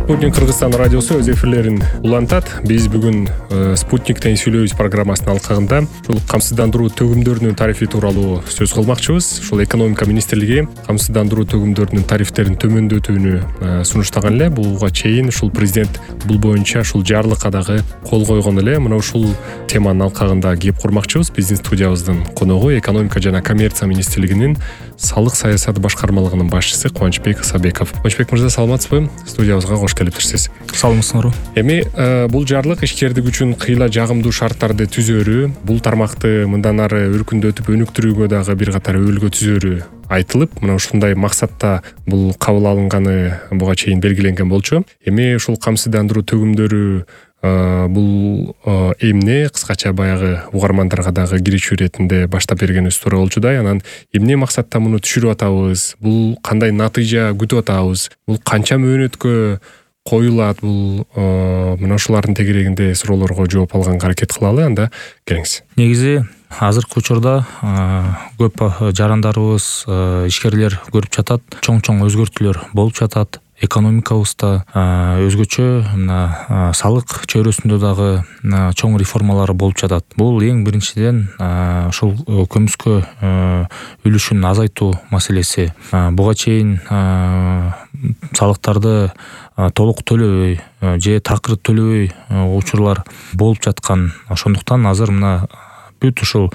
Спутник Кыргызстан радиосу өз эфирлерин улантат. Биз бүгүн Спутниктен сүйлөйбүз программасынын алкагында ушул камсыздандыруу төгүмдөрүнүн тарифи тууралуу сөз кылмакчыбыз. Ушул экономика министрлиги камсыздандыруу төгүмдөрүнүн тарифтерин төмөндөтүүнү сунуштаган эле. Буга чейин ушул президент бул боюнча ушул жарлыкка дагы кол койгон эле. Мына ушул теманын алкагында кеп курмакчыбыз. Биздин студиябыздын коногу экономика жана коммерция министрлигинин салык саясаты башкармалыгынын башчысы Кубанычбек Исабеков. Кубанычбек мырза, саламатсызбы? Студиябызга кош келипсиз. Саламатсызбы. Эми бул жарлык ишкердик үчүн кыйла жагымдуу шарттарды түзөөрү, бул тармакты мындан ары өркүндөтүп өнүктүрүүгө дагы бир катар өбөлгө түзөөрү айтылып, мына ушундай максатта бул кабыл алынганы буга чейин белгиленген болчу. Эми ушул камсыздандыруу төгүмдөрү бул эмне, кыскача баягы угармандарга дагы киричүү иретинде баштап бергенибиз туура болчудай. Анан эмне максатта муну түшүрүп атабыз, бул кандай натыйжа күтүп атабыз, бул канча мөөнөткө коюлат, бул мына ушулардын тегерегинде суроолорго жооп алганга аракет кылалы. Анда келиңиз. Негизи азыркы учурда көп жарандарыбыз, ишкерлер көрүп жатат, чоң өзгөртүүлөр болуп жатат. Экономикабызда өзгөчө мына салык чөйрөсүндө дагы чоң реформалар болуп жатат. Бул эң биринчиден ушул көмүскө үлүшүн азайтуу маселеси. Буга чейин салыктарды толук төлөбөй же такыр төлөбөй учурлар болуп жаткан. Ошондуктан азыр мына бүт ушул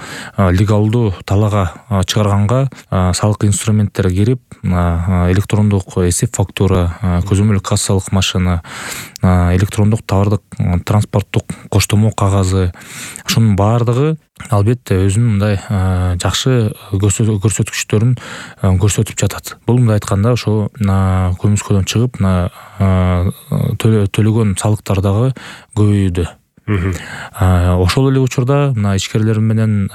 легалдуу талаага чыгарганга салык инструменттери кирип, электрондук эсеп фактура, көзөмөл кассалык машина, электрондук товардык транспорттук коштомо кагазы, ошонун баардыгы албетте өзүнүн мындай жакшы көрсөткүчтөрүн көрсөтүп жатат. Бул мындай айтканда ошо көмүскөдөн чыгып төлөгөн салыктар дагы көбөйүүдө. Ошол эле учурда мына ишкерлер менен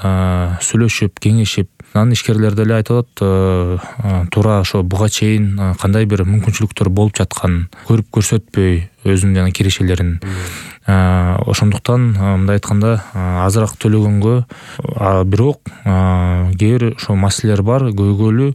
сүйлөшүп, кеңешип, анан ишкерлер деле айтып атат, туура ошо буга чейин кандай бир мүмкүнчүлүктөр болуп жатканын көрүп көрсөтпөй өзүнүн жана кирешелерин. Ошондуктан мындай айтканда азыраак төлөгөнгө, бирок кээ бир ошо маселелер бар, көйгөйлүү.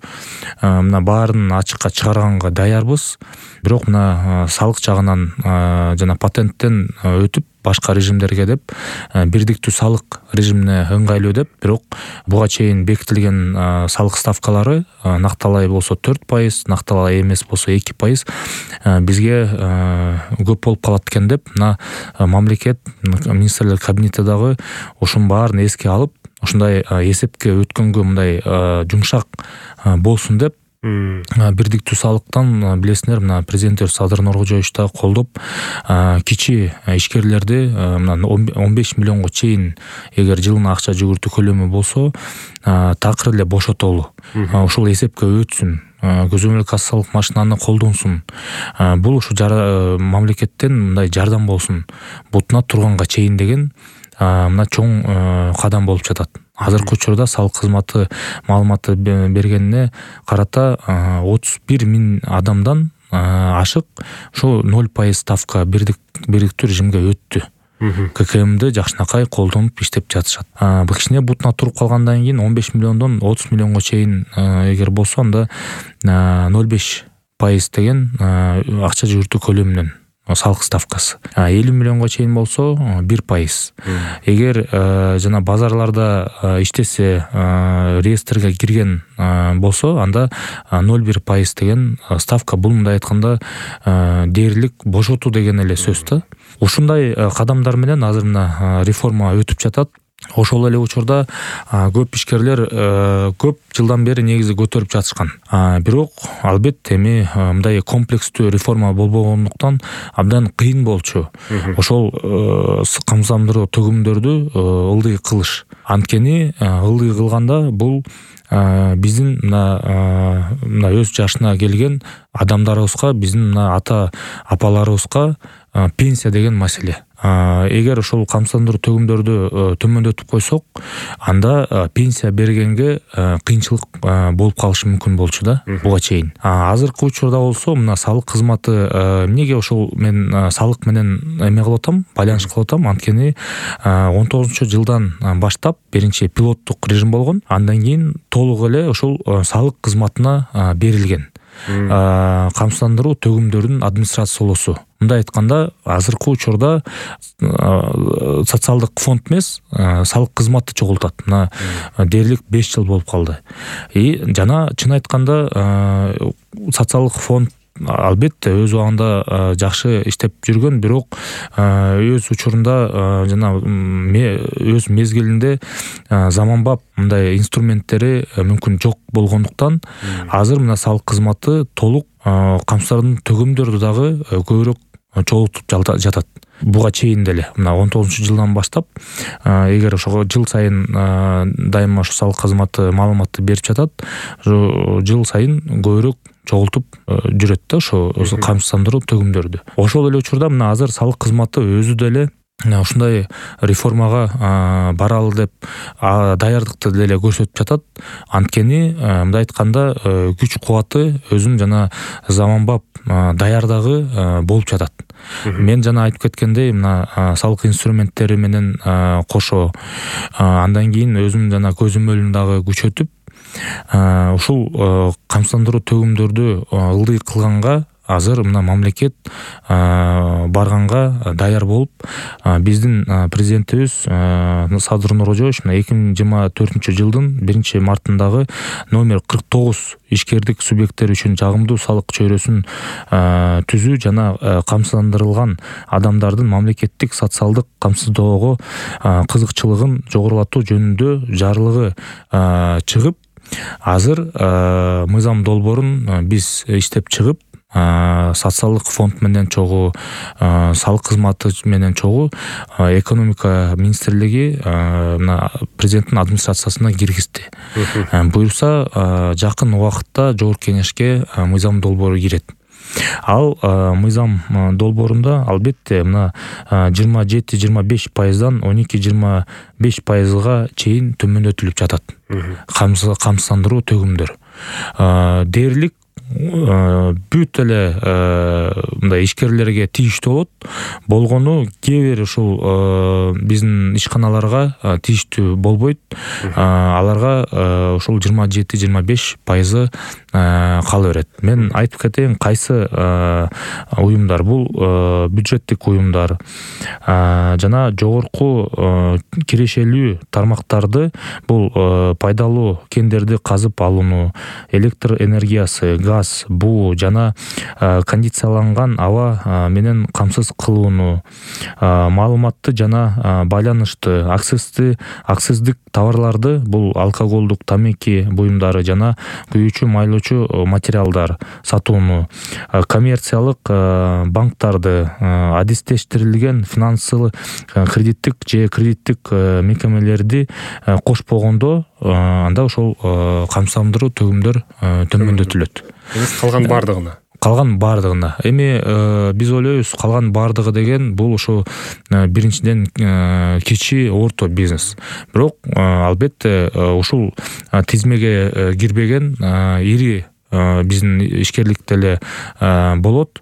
Мына баарын ачыкка чыгарганга даярбыз. Бирок мына салык жагынан жана патенттен өтүп башка режимдерге деп, бирдиктүү салык режимине ыңгайлуу деп, бирок буга чейин бекитилген салык ставкалары накталай болсо 4%, накталай эмес болсо 2% бизге көп болуп калат экен деп, мына мамлекет министрлер кабинети дагы ушунун баарын эске алып, ушундай эсепке өткөнгө мындай жумшак болсун деп, бирдиктүү салыктан билесиңер, мына президентибиз Садыр Нуркожоевич да колдоп, кичи ишкерлерди мына 15 миллионго чейин эгер жылына акча жүгүртүү көлөмү болсо, такыр эле бошотолу. Ушул эсепке өтсүн, көзөмөл кассалык машинаны колдонсун. Бул ушу мамлекеттен мындай жардам болсун, бутуна турганга чейин деген мына чоң кадам болуп жатат. Азыркы учурда салык кызматы маалыматы бергенине карата 31 миң адамдан ашык ошо 0% ставка бирдиктүү режимге өттү. ККМди жакшынакай колдонуп иштеп жатышат. Кичине бутуна туруп калгандан кийин 15 миллиондон 30 миллионго чейин эгер болсо, анда 0,5% деген акча жүгүртүү көлөмүнөн салык ставкасы. 50 миллионго чейин болсо 1%. Эгер жана базарларда иштесе, реестрге кирген болсо, анда 0,1% деген ставка. Бул мындай айтканда дээрлик бошотуу деген эле сөз да. Ушундай кадамдар менен азыр мына реформа өтүп жатат. Ошол эле учурда көп ишкерлер көп жылдан бери негизи көтөрүп жатышкан. Бирок албетте эми мындай комплекстүү реформа болбогондуктан абдан кыйын болчу. Ошол камсыздандыруу төгүмдөрдү ылдый кылыш. Анткени ылдый кылганда бул биздин мына өз жашына келген адамдарыбызга, биздин мына ата апаларыбызга пенсия деген маселе. Эгер ошол камсыздандыруу төгүмдөрдү төмөндөтүп койсок, анда пенсия бергенге кыйынчылык болуп калышы мүмкүн болчу да буга чейин. Азыркы учурда болсо мына салык кызматы, эмнеге ошол мен салык менен эме кылып атам, байланыш кылып атам, анткени 19-жылдан баштап биринчи пилоттук режим болгон, андан кийин толук эле ошол салык кызматына берилген. камсыздандыруу төгүмдөрүнүн администрациялоосу. Мындай айтканда, азыркы учурда социалдык фонд эмес, салык кызматы чогултат. Мына дээрлик 5 жыл болуп калды. Жана чын айтканда социалдык фонд албетте өз убагында жакшы иштеп жүргөн, бирок өз учурунда жана өз мезгилинде заманбап мындай инструменттери мүмкүн жок болгондуктан азыр мына салык кызматы толук камсыздардын төгүмдөрү дагы көбүрөөк чогултуп жатат. Буга чейин деле мына 19-жылдан баштап эгер ошого жыл сайын дайыма ошо салык кызматы маалыматты берип жатат, жыл сайын көбүрөөк чогултуп жүрөт да ошо камсыздандыруу төгүмдөрдү. Ошол эле учурда мына азыр салык кызматы өзү деле ушундай реформага баралы деп даярдыкты деле көрсөтүп жатат. Анткени мындай айтканда күч кубаты өзүнүн жана заманбап даярдыгы болуп жатат. Мен жана айтып кеткендей, мына салык инструменттери менен кошо андан кийин өзүмдүн жана көзөмөлүн дагы күчөтүп, ушул камсыздандыруу төгүмдөрдү ылдый кылганга азыр мына мамлекет барганга даяр болуп, биздин президентибиз Садыр Нуркожоевич 2024-жылдын 1-мартындагы номер 49 ишкердик субъекттери үчүн жагымдуу салык чөйрөсүн түзүү жана камсыздандырылган адамдардын мамлекеттик социалдык камсыздоого кызыкчылыгын жогорулатуу жөнүндө жарлыгы чыгып, азыр мыйзам долбоорун биз иштеп чыгып, социалдык фонд менен чогуу, салык кызматы менен чогуу экономика министрлиги президенттин администрациясына киргизди. Буюрса жакын убакытта жогорку кеңешке мыйзам долбоору кирет. Ал мыйзам долбоорунда албетте мына 27-25%дан 12-25%га чейин төмөндөтүлүп жатат камсыздандыруу төгүмдөр. Дээрлик бүт эле мындай ишкерлерге тийиштүү болгону кээ бир ушул биздин ишканаларга тийиштүү болбойт. Аларга ушул 27-25% кала берет. Мен айтып кетейин, кайсы уюмдар бул бюджеттик уюмдар жана жогорку кирешелүү тармактарды, бул пайдалуу кендерди казып алууну, электр энергиясы, газ, буу жана кондицияланган аба менен камсыз кылууну, маалыматты жана байланышты, акциздик товарларды, бул алкоголдук, тамеки буюмдары жана күйүүчү майлоочу материалдар сатууну, коммерциялык банктарды, адистештирилген финансылык, кредиттик же кредиттик мекемелерди кошпогондо, анда ошол камсыздандыруу төгүмдөр төмөндөтүлөт. Калган бардыгына. Эми биз ойлойбуз, калган бардыгы деген бул ошо биринчиден кичи орто бизнес. Бирок албетте ушул тизмеге кирбеген ири биздин ишкерлик деле болот.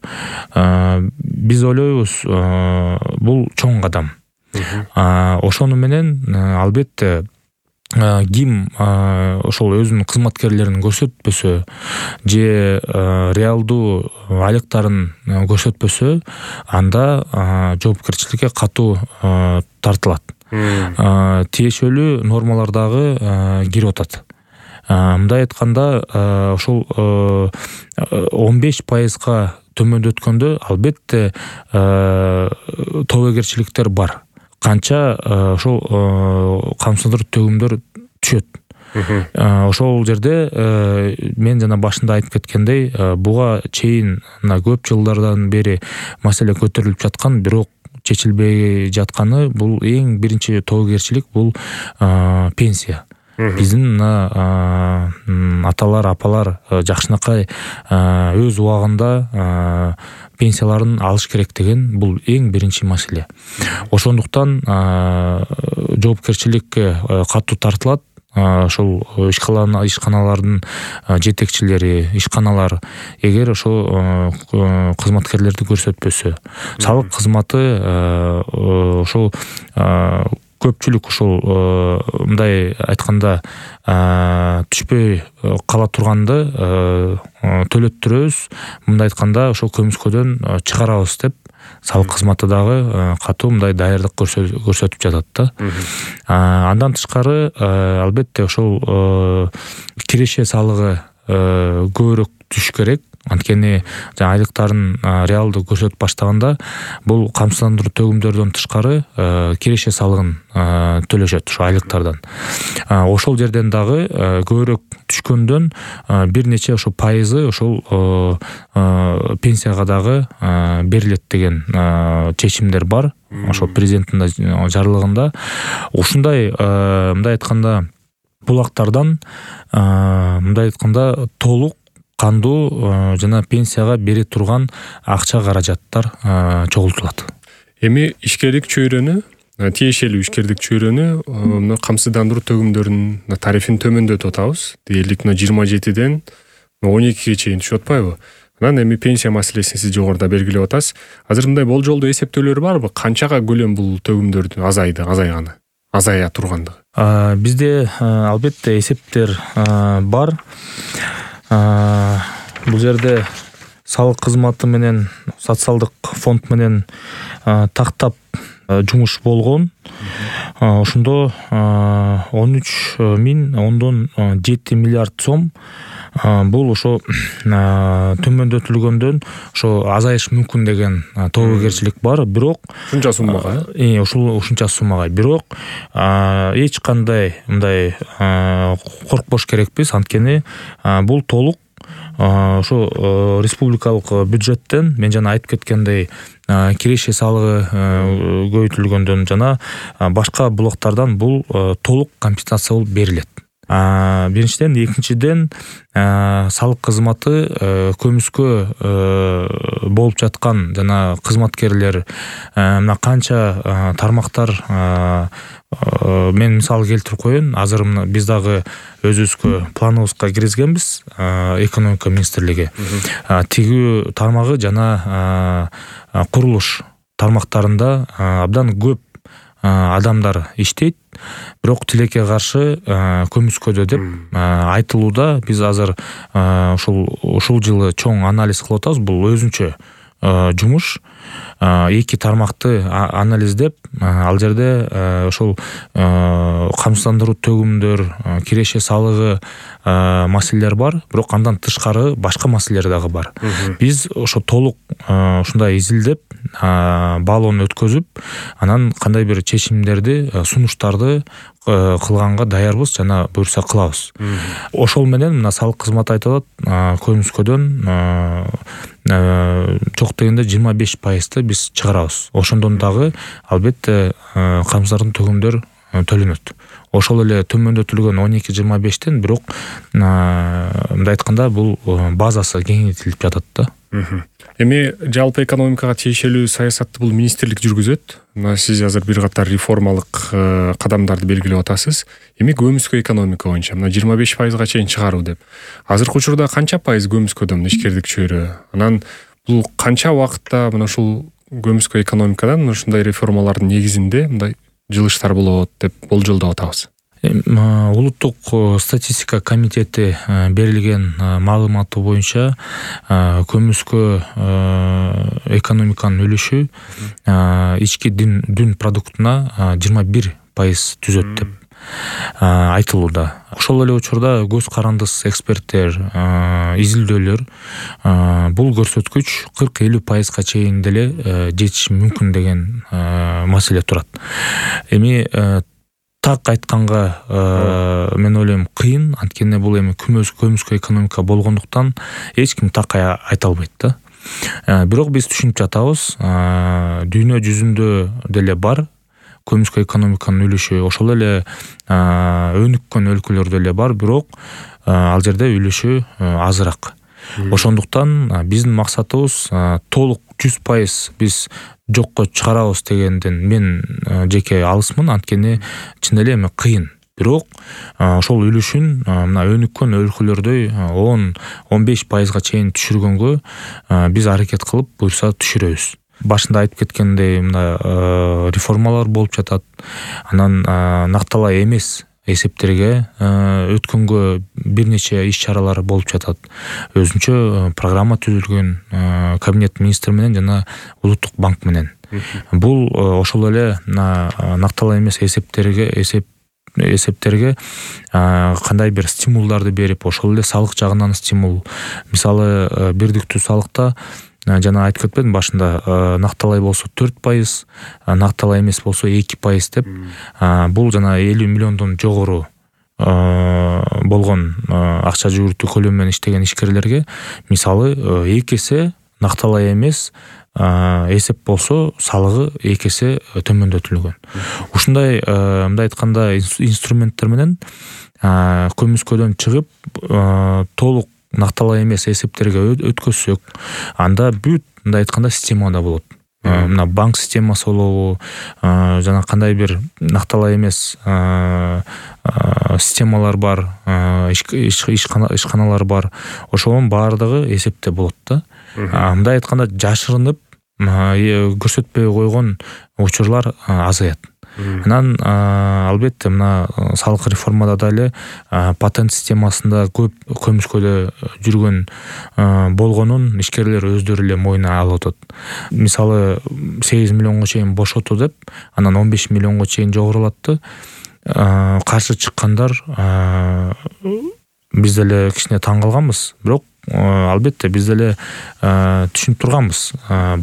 Биз ойлойбуз, бул чоң кадам. Ошону менен албетте ким ошол өзүнүн кызматкерлерин көрсөтпөсө же реалдуу айлыктарын көрсөтпөсө, анда жоопкерчиликке катуу тартылат. Тиешелүү нормалар дагы кирип атат. Мындай айтканда, ошол 15%га төмөндөткөндө албетте тобокерчиликтер бар. Канча ошол камсыздандыруу төгүмдөр түшөт. Ошол жерде мен жана башында айтып кеткендей, буга чейин көп жылдардан бери маселе көтөрүлүп жаткан, бирок чечилбей жатканы, бул эң биринчи тобокерчилик, бул пенсия. Биздин аталар, апалар жакшынакай өз убагында пенсияларын алыш керек деген, бул эң биринчи маселе. Ошондуктан жоопкерчиликке катуу тартылат. Ошол ишканалардын жетекчилери, ишканалар эгер ошо кызматкерлерди көрсөтпөсө, салык кызматы ошол көпчүлүк ушул мындай айтканда түшпөй кала турганды төлөттүрөбүз, мындай айтканда ошол көмүскөдөн чыгарабыз деп салык кызматы дагы катуу мындай даярдык көрсөтүп жатат да. Андан тышкары албетте ошол киреше салыгы көбүрөөк түшүш керек. Анткени айлыктарын реалдуу көрсөтүп баштаганда бул камсыздандыруу төгүмдөрдөн тышкары киреше салыгын төлөшөт ошо айлыктардан. Ошол жерден дагы көбүрөөк түшкөндөн бир нече ошо пайызы ошол пенсияга дагы берилет деген чечимдер бар. Ошол президенттин жарлыгында ушундай мындай айтканда булактардан мындай айтканда толук кандуу жана пенсияга бере турган акча каражаттар чогултулат. Эми ишкерлик чөйрөнү, тиешелүү ишкерлик чөйрөнү мына камсыздандыруу төгүмдөрүнүн тарифин төмөндөтүп атабыз. Дээрлик 27ден 12ге чейин түшүп атпайбы? Анан эми пенсия маселесин сиз жогоруда белгилеп атасыз. Азыр мындай болжолдуу эсептөөлөр барбы? Канчага көлөм бул төгүмдөрдүн азая тургандыгы? Бизде албетте эсептер бар. Бул жерде салык кызматы менен социалдык фонд менен тактап жумуш болгон. Ошондо 13,7 миллиард сом бул ошо төмөндөтүлгөндөн ошо азайыш мүмкүн деген тобокерчилик бар. Бирок ушунча суммага, ушунча суммага, бирок эч кандай мындай коркпош керекпиз. Анткени бул толук ошо республикалык бюджеттен мен жана айтып кеткендей киреше салыгы көбөйтүлгөндөн жана башка булактардан бул толук компенсация болуп берилет. Биринчиден, экинчиден салык кызматы көмүскө болуп жаткан жана кызматкерлер мына канча тармактар мен мисал келтирип коеюн. Азыр биз дагы өзүбүзгө планыбызга киргизгенбиз экономика министрлиги. Тигүү тармагы жана курулуш тармактарында абдан көп адамдар иштейт, бирок тилекке каршы көмүскөдө деп айтылууда. Биз азыр ушул жылы чоң анализ кылып атабыз. Бул өзүнчө жумуш. Эки тармакты анализдеп, ал жерде ошол камсыздандыруу төгүмдөр, киреше салыгы маселелер бар, бирок андан тышкары башка маселелер дагы бар. Биз ошо толук ушундай изилдеп, баалоону өткөзүп, анан кандай бир чечимдерди, сунуштарды кылганга даярбыз жана буюрса кылабыз. Ошол менен мына салык кызматы айтып атат, көмүскөдөн чок дегенде 25%-ты биз чыгарабыз. Ошондон дагы албетте камсыздандыруу төгүмдөр төлөнөт. Ошол эле төмөндөтүлгөн 12-25тен бирок мындай айтканда бул базасы кеңейтилип жатат да. Эми жалпы экономикага тиешелүү саясатты бул министрлик жүргүзөт. Сиз азыр бир катар реформалык кадамдарды белгилеп атасыз. Эми көмүскө экономика боюнча 25%га чейин чыгаруу деп. Азыркы учурда канча пайыз көмүскөдө ишкерлик чөйрө? Анан бул канча убакытта мына ушул көмүскө экономикадан ушундай реформалардын негизинде мындай жылыштар болот деп болжолдоп атабыз? Улуттук статистика комитети берилген маалыматы боюнча көмүскө экономиканын үлүшү ички дүн продуктуна 21% түзөт деп айтылууда. Ошол эле учурда көз карандыс эксперттер, изилдөөлөр бул көрсөткүч 40-50%га чейин деле жетиши мүмкүн деген маселе турат. Эми так айтканга мен ойлойм кыйын, анткени бул эми көмүскө экономика болгондуктан эч ким так айта албайт да. Бирок биз түшүнүп жатабыз, дүйнө жүзүндө деле бар көмүскө экономиканын үлүшү, ошол эле өнүккөн өлкөлөрдө деле бар, бирок ал жерде үлүшү азыраак. Ошондуктан биздин максатыбыз толук 100% биз жокко чыгарабыз дегенден мен жеке алысмын, анткени чын эле эми кыйын. Бирок ошол үлүшүн мына өнүккөн өлкөлөрдөй 10-15%га чейин түшүргөнгө биз аракет кылып буюрса түшүрөбүз. башында айтып кеткендей мына реформалар болуп жатат. Анан накталай эмес эсептерге өткөнгө бир нече иш-чаралар болуп жатат. Өзүнчө программа түзүлгөн кабинет министр менен жана улуттук банк менен. Бул ошол эле накталай эмес эсептерге кандай бир стимулдарды берип, ошол эле салык жагынан стимул. Мисалы, бирдиктүү салыкта жана айтып кетпедим башында, накталай болсо 4%, накталай эмес болсо 2% деп. Бул жана 50 миллиондон жогору болгон акча жүгүртүү көлөмү менен иштеген ишкерлерге мисалы 2 эсе накталай эмес эсеп болсо салыгы 2 эсе төмөндөтүлгөн. Ушундай мындай айтканда инструменттер менен көмүскөдөн чыгып толук накталай эмес эсептерге өткөзсөк, анда бүт мындай айтканда системада болот. Мына банк системасы болобу, жана кандай бир накталай эмес системалар бар, ишканалар бар. Ошонун баардыгы эсепте болот да. Мындай айтканда жашырынып көрсөтпөй койгон учурлар азаят. Анан албетте мына салык реформада дагы патент системасында көп көмүскөдө жүргөн болгонун ишкерлер өздөрү эле мойнуна алып атат. Мисалы 8 миллионго чейин бошоту деп, анан 15 миллионго чейин жогорулатты. Каршы чыккандар биз деле кичине таң калганбыз, бирок албетте биз деле түшүнүп турганбыз.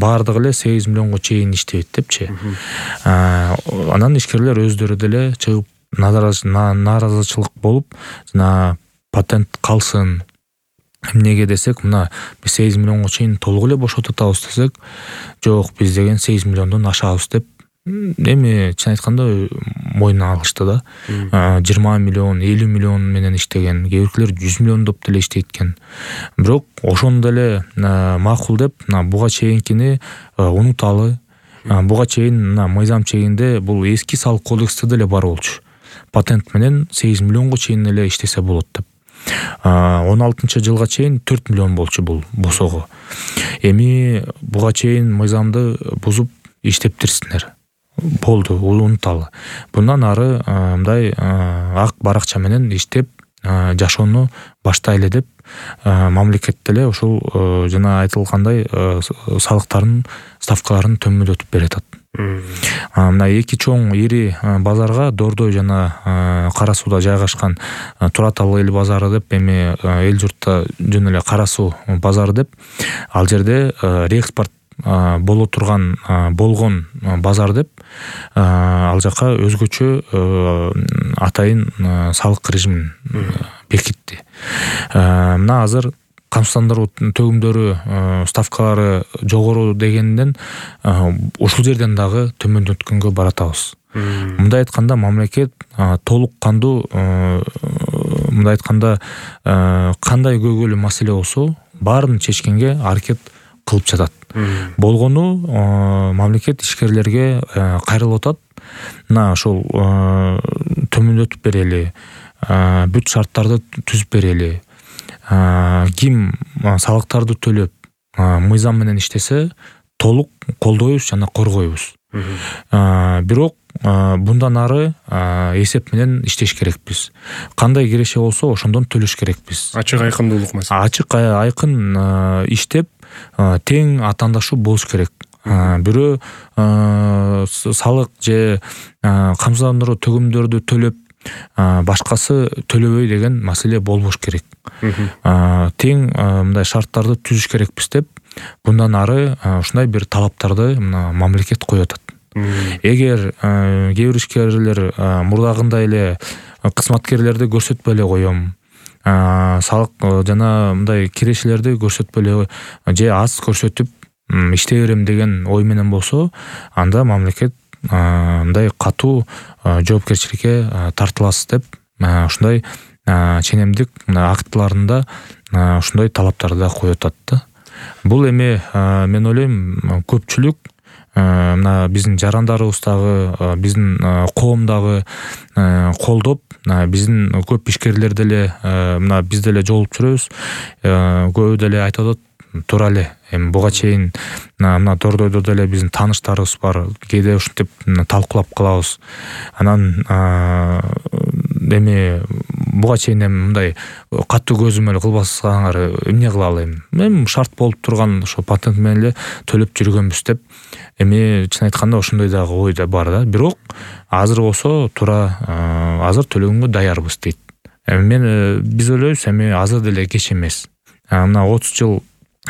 Баардыгы эле 8 миллионго чейин иштебейт депчи. Анан ишкерлер өздөрү деле чыгып нааразычылык болуп, жана патент калсын. Эмнеге десек, мына биз 8 миллионго чейин толук эле бошотуп атабыз десек, жок, биз деген 8 миллиондон ашабыз деп эми чын айтканда мойнуна алышты да. 20 миллион, 50 миллион менен иштеген, кээ биркилер 100 миллиондоп деле иштейт экен. Бирок ошону деле макул деп, буга чейинкини унуталы. Буга чейин мыйзам чегинде бул эски салык кодексте деле бар болчу. Патент менен 8 миллионго чейин эле иштесе болот деп. 16-жылга чейин 4 миллион болчу бул босого. Эми буга чейин мыйзамды бузуп иштептирсиңер. Болду, унуталы. Bundan ары мындай ак баракча менен иштеп жашоону баштайлы деп мамлекет деле ушул жана айтылгандай салыктардын ставкаларын төмөндөтүп берет. Мына эки чоң ири базарга, Дордой жана Кара Сууда жайгашкан Тура Тал эл базары деп, эми эл журтта жөн эле Кара Суу базары деп, ал жерде реэкспорт боло турган болгон базар деп, ал жака өзгөчө атайын салык режимин бекитти. Мына азыр камсыздандыруу төгүмдөрү ставкалары жогору дегенден ушул жерден дагы төмөндөткөнгө баратабыз. Мындай айтканда мамлекет толук кандуу мындай айтканда кандай көйгөйлүү маселе болсо баарын чечкенге аракет кылып жатат. Болгону мамлекет ишкерлерге кайрылып атат. Мына ошол төмөндөтүп берели, бүт шарттарды түзүп берели. Ким салыктарды төлөп мыйзам менен иштесе толук колдойбуз жана коргойбуз. Бирок bundan ары эсеп менен иштеш керекпиз. Кандай киреше болсо ошондон төлөш керекпиз. Ачык айкындуулук маселе. Ачык айкын иштеп тең атаандашуу болуш керек. Бирөө салык же камсыздандыруу төгүмдөрдү төлөп башкасы төлөбөй деген маселе болбош керек. Тең мындай шарттарды түзүш керекпиз деп, bundan ары ушундай бир талаптарды мамлекет коюп атат. Эгер кээ бир ишкерлер мурдагындай эле кызматкерлерди көрсөтпөй эле коем, салык жана мындай кирешелерди көрсөтпөй эле же аз көрсөтүп иштей берем деген ой менен болсо, анда мамлекет мындай катуу жоопкерчиликке тартыласыз деп, ушундай ченемдик актыларында ушундай талаптарды коюп атат. Бул эми мен ойлойм көпчүлүк мына биздин жарандарыбыздагы, биздин коомдагы колдоп, биздин көп ишкерлер деле мына биз деле жолуп жүрөбүз. Көбү деле айтып атат, туура эле. Эми буга чейин мына Дордойдо деле биздин тааныштарыбыз бар. Кээде ушинтип талкуулап калабыз. Анан эми буга чейин эми мындай катуу көзөмөл кылбасаңар эмне кылалы эми? Эми шарт болуп турган ошо патент менен эле төлөп жүргөнбүз деп. Эми чын айтканда ошондой дагы ой да бар да. Бирок азыр болсо туура азыр төлөгөнгө даярбыз дейт. Мен биз ойлойбуз эми азыр деле кеч эмес. Мына 30 жыл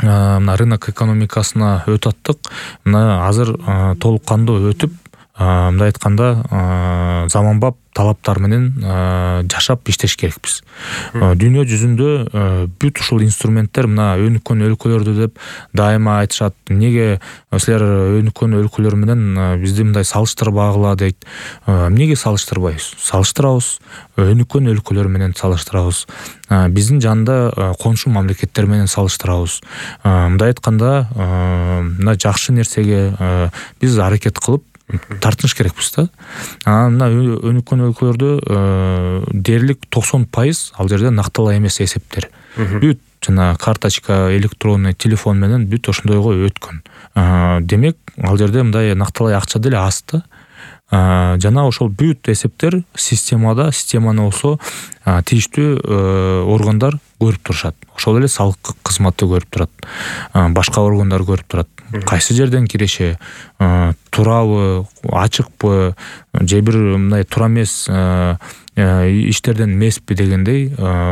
мына рынок экономикасына өтүп аттык. Мына азыр толук кандуу өтүп, мындай айтканда заманбап талаптар менен жашап иштеш керекпиз. Дүйнө жүзүндө бүт ушул инструменттер мына өнүккөн өлкөлөрдө деп дайыма айтышат. Неге силер өнүккөн өлкөлөр менен бизди мындай салыштырбагыла дейт. Эмнеге салыштырбайбыз? Салыштырабыз. Өнүккөн өлкөлөр менен салыштырабыз. Биздин жанында коншу мамлекеттер менен салыштырабыз. Мындай айтканда, мына жакшы нерсеге биз аракет кылып тартыныш керекпиз да. Мына өнүккөн өлкөлөрдө дээрлик 90% ал жерде накталаа эмес эсептер. Бүт жана карточка, электронный телефон менен бүт ошондойго өткөн. Демек, ал жерде мындай накталаа акча деле аз да. Жана ошол бүт эсептер системаны болсо тийиштүү органдар көрүп турушат. Ошол эле салык кызматы көрүп турат. Башка органдар көрүп турат. Кайсы жерден киреше, туурабы, ачыкпы, же бир мындай туура эмес иштерден эмеспи дегендей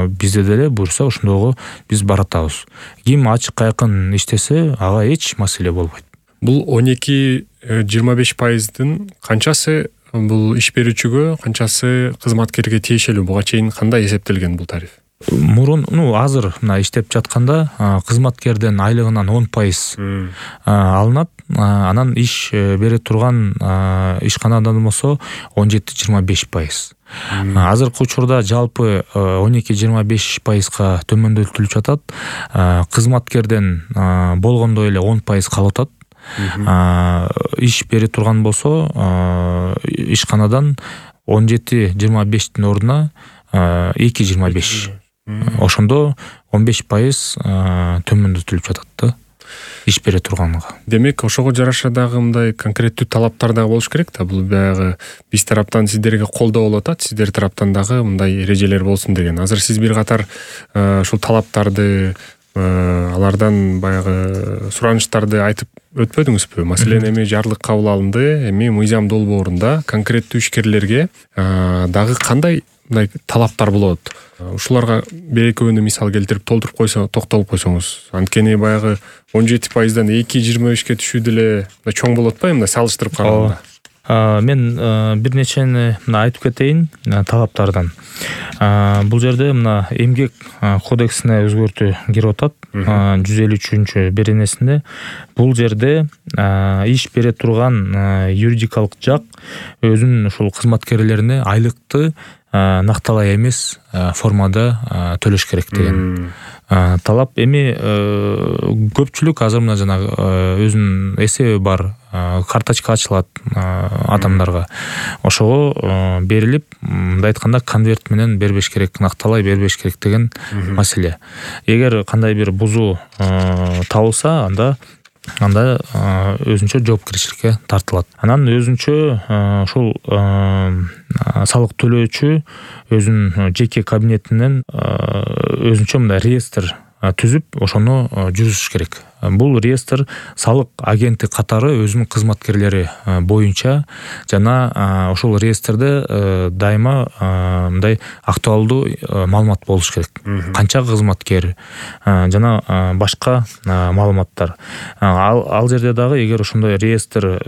бизде деле буюрса ошондойго биз баратабыз. Ким ачык айкын иштесе, ага эч маселе болбойт. Бул 12-25%дын канчасы бул иш берүүчүгө, канчасы кызматкерге тиешелүү? Буга чейин кандай эсептелген бул тариф? Мурун, азыр мына иштеп жатканда кызматкердин айлыгынан 10% алынат. Анан иш бере турган ишканадан болсо 17-25%. Азыркы учурда жалпы 12-25%га төмөндөтүлүп жатат. Кызматкерден болгондой эле 10% калып атат. Иш бере турган болсо ишканадан 17-25-тин ордуна 2-25. Ошондо 15% төмөндөтүлүп жатат да иш бере турганга. Демек, ошого жараша дагы мындай конкреттүү талаптар дагы болуш керек да. Бул баягы биз тараптан сиздерге колдоо болуп атат, сиздер тараптан дагы мындай эрежелер болсун деген. Азыр сиз бир катар ушул талаптарды, алардан баягы суранычтарды айтып өтпөдүңүзбү? Маселен, эми жарлык кабыл алынды, эми мыйзам долбоорунда конкреттүү ишкерлерге дагы кандай мындай талаптар болот? Ушуларга бир-экөөнү мисал келтирип толтуруп токтолуп койсоңуз. Анткени баягы 17%дан 2-25-ге түшүү деле чоң болот атпайбы, мындай салыштырып караганда? Мен бир нечени айтып кетейин талаптардан. Бул жерде мына эмгек кодексине өзгөртүү кирип атат. 153-беренесинде бул жерде иш бере турган юридикалык жак өзүнүн ушул кызматкерлерине айлыкты накталаа эмес формада төлөш керек деген талап. Эми көпчүлүк азыр мына жана өзүнүн эсеби бар, карточка ачылат адамдарга. Ошого берилип, мындай айтканда конверт менен бербеш керек, накталай бербеш керек деген маселе. Эгер кандай бир бузуу табылса, анда өзүнчө жоопкерчиликке тартылат. Анан өзүнчө ушул салык төлөөчү өзүнүн жеке кабинетинен өзүнчө мындай реестр түзүп, ошону жүргүзүш керек. Бул реестр салык агенти катары өзүнүн кызматкерлери боюнча жана ошол реестрде дайыма мындай актуалдуу маалымат болуш керек. Канча кызматкер жана башка маалыматтар. Ал жерде дагы эгер ошондой реестр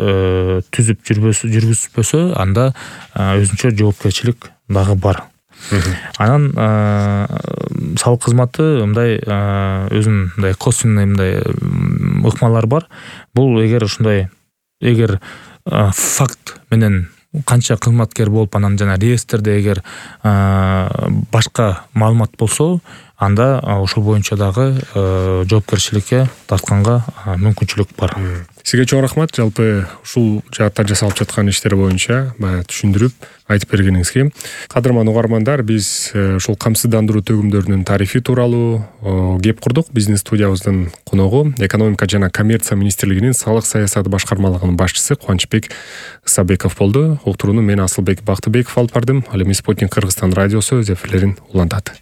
түзүп жүргүзбөсө, анда өзүнчө жоопкерчилик дагы бар. Анан салык кызматы мындай өзүнүн мындай косвенный мындай ыкмалар бар. Бул эгер факт менен канча кызматкер болуп, анан жана реестрде эгер башка маалымат болсо, анда ошол боюнча дагы жоопкерчиликке тартканга мүмкүнчүлүк бар. Сизге чоң рахмат, жалпы ушул жаатта жасалып жаткан иштер боюнча баягы түшүндүрүп айтып бергениңизге. Кадырман угармандар, биз ушул камсыздандыруу төгүмдөрүнүн тарихи тууралуу кеп курдук. Биздин студиябыздын коногу экономика жана коммерция министрлигинин салык саясаты башкармалыгынын башчысы Кубанычбек Ысабеков болду. Уктурууну мен Асылбек Бактыбеков алып бардым. Ал эми Спутник Кыргызстан радиосу өз эфирлерин улантат.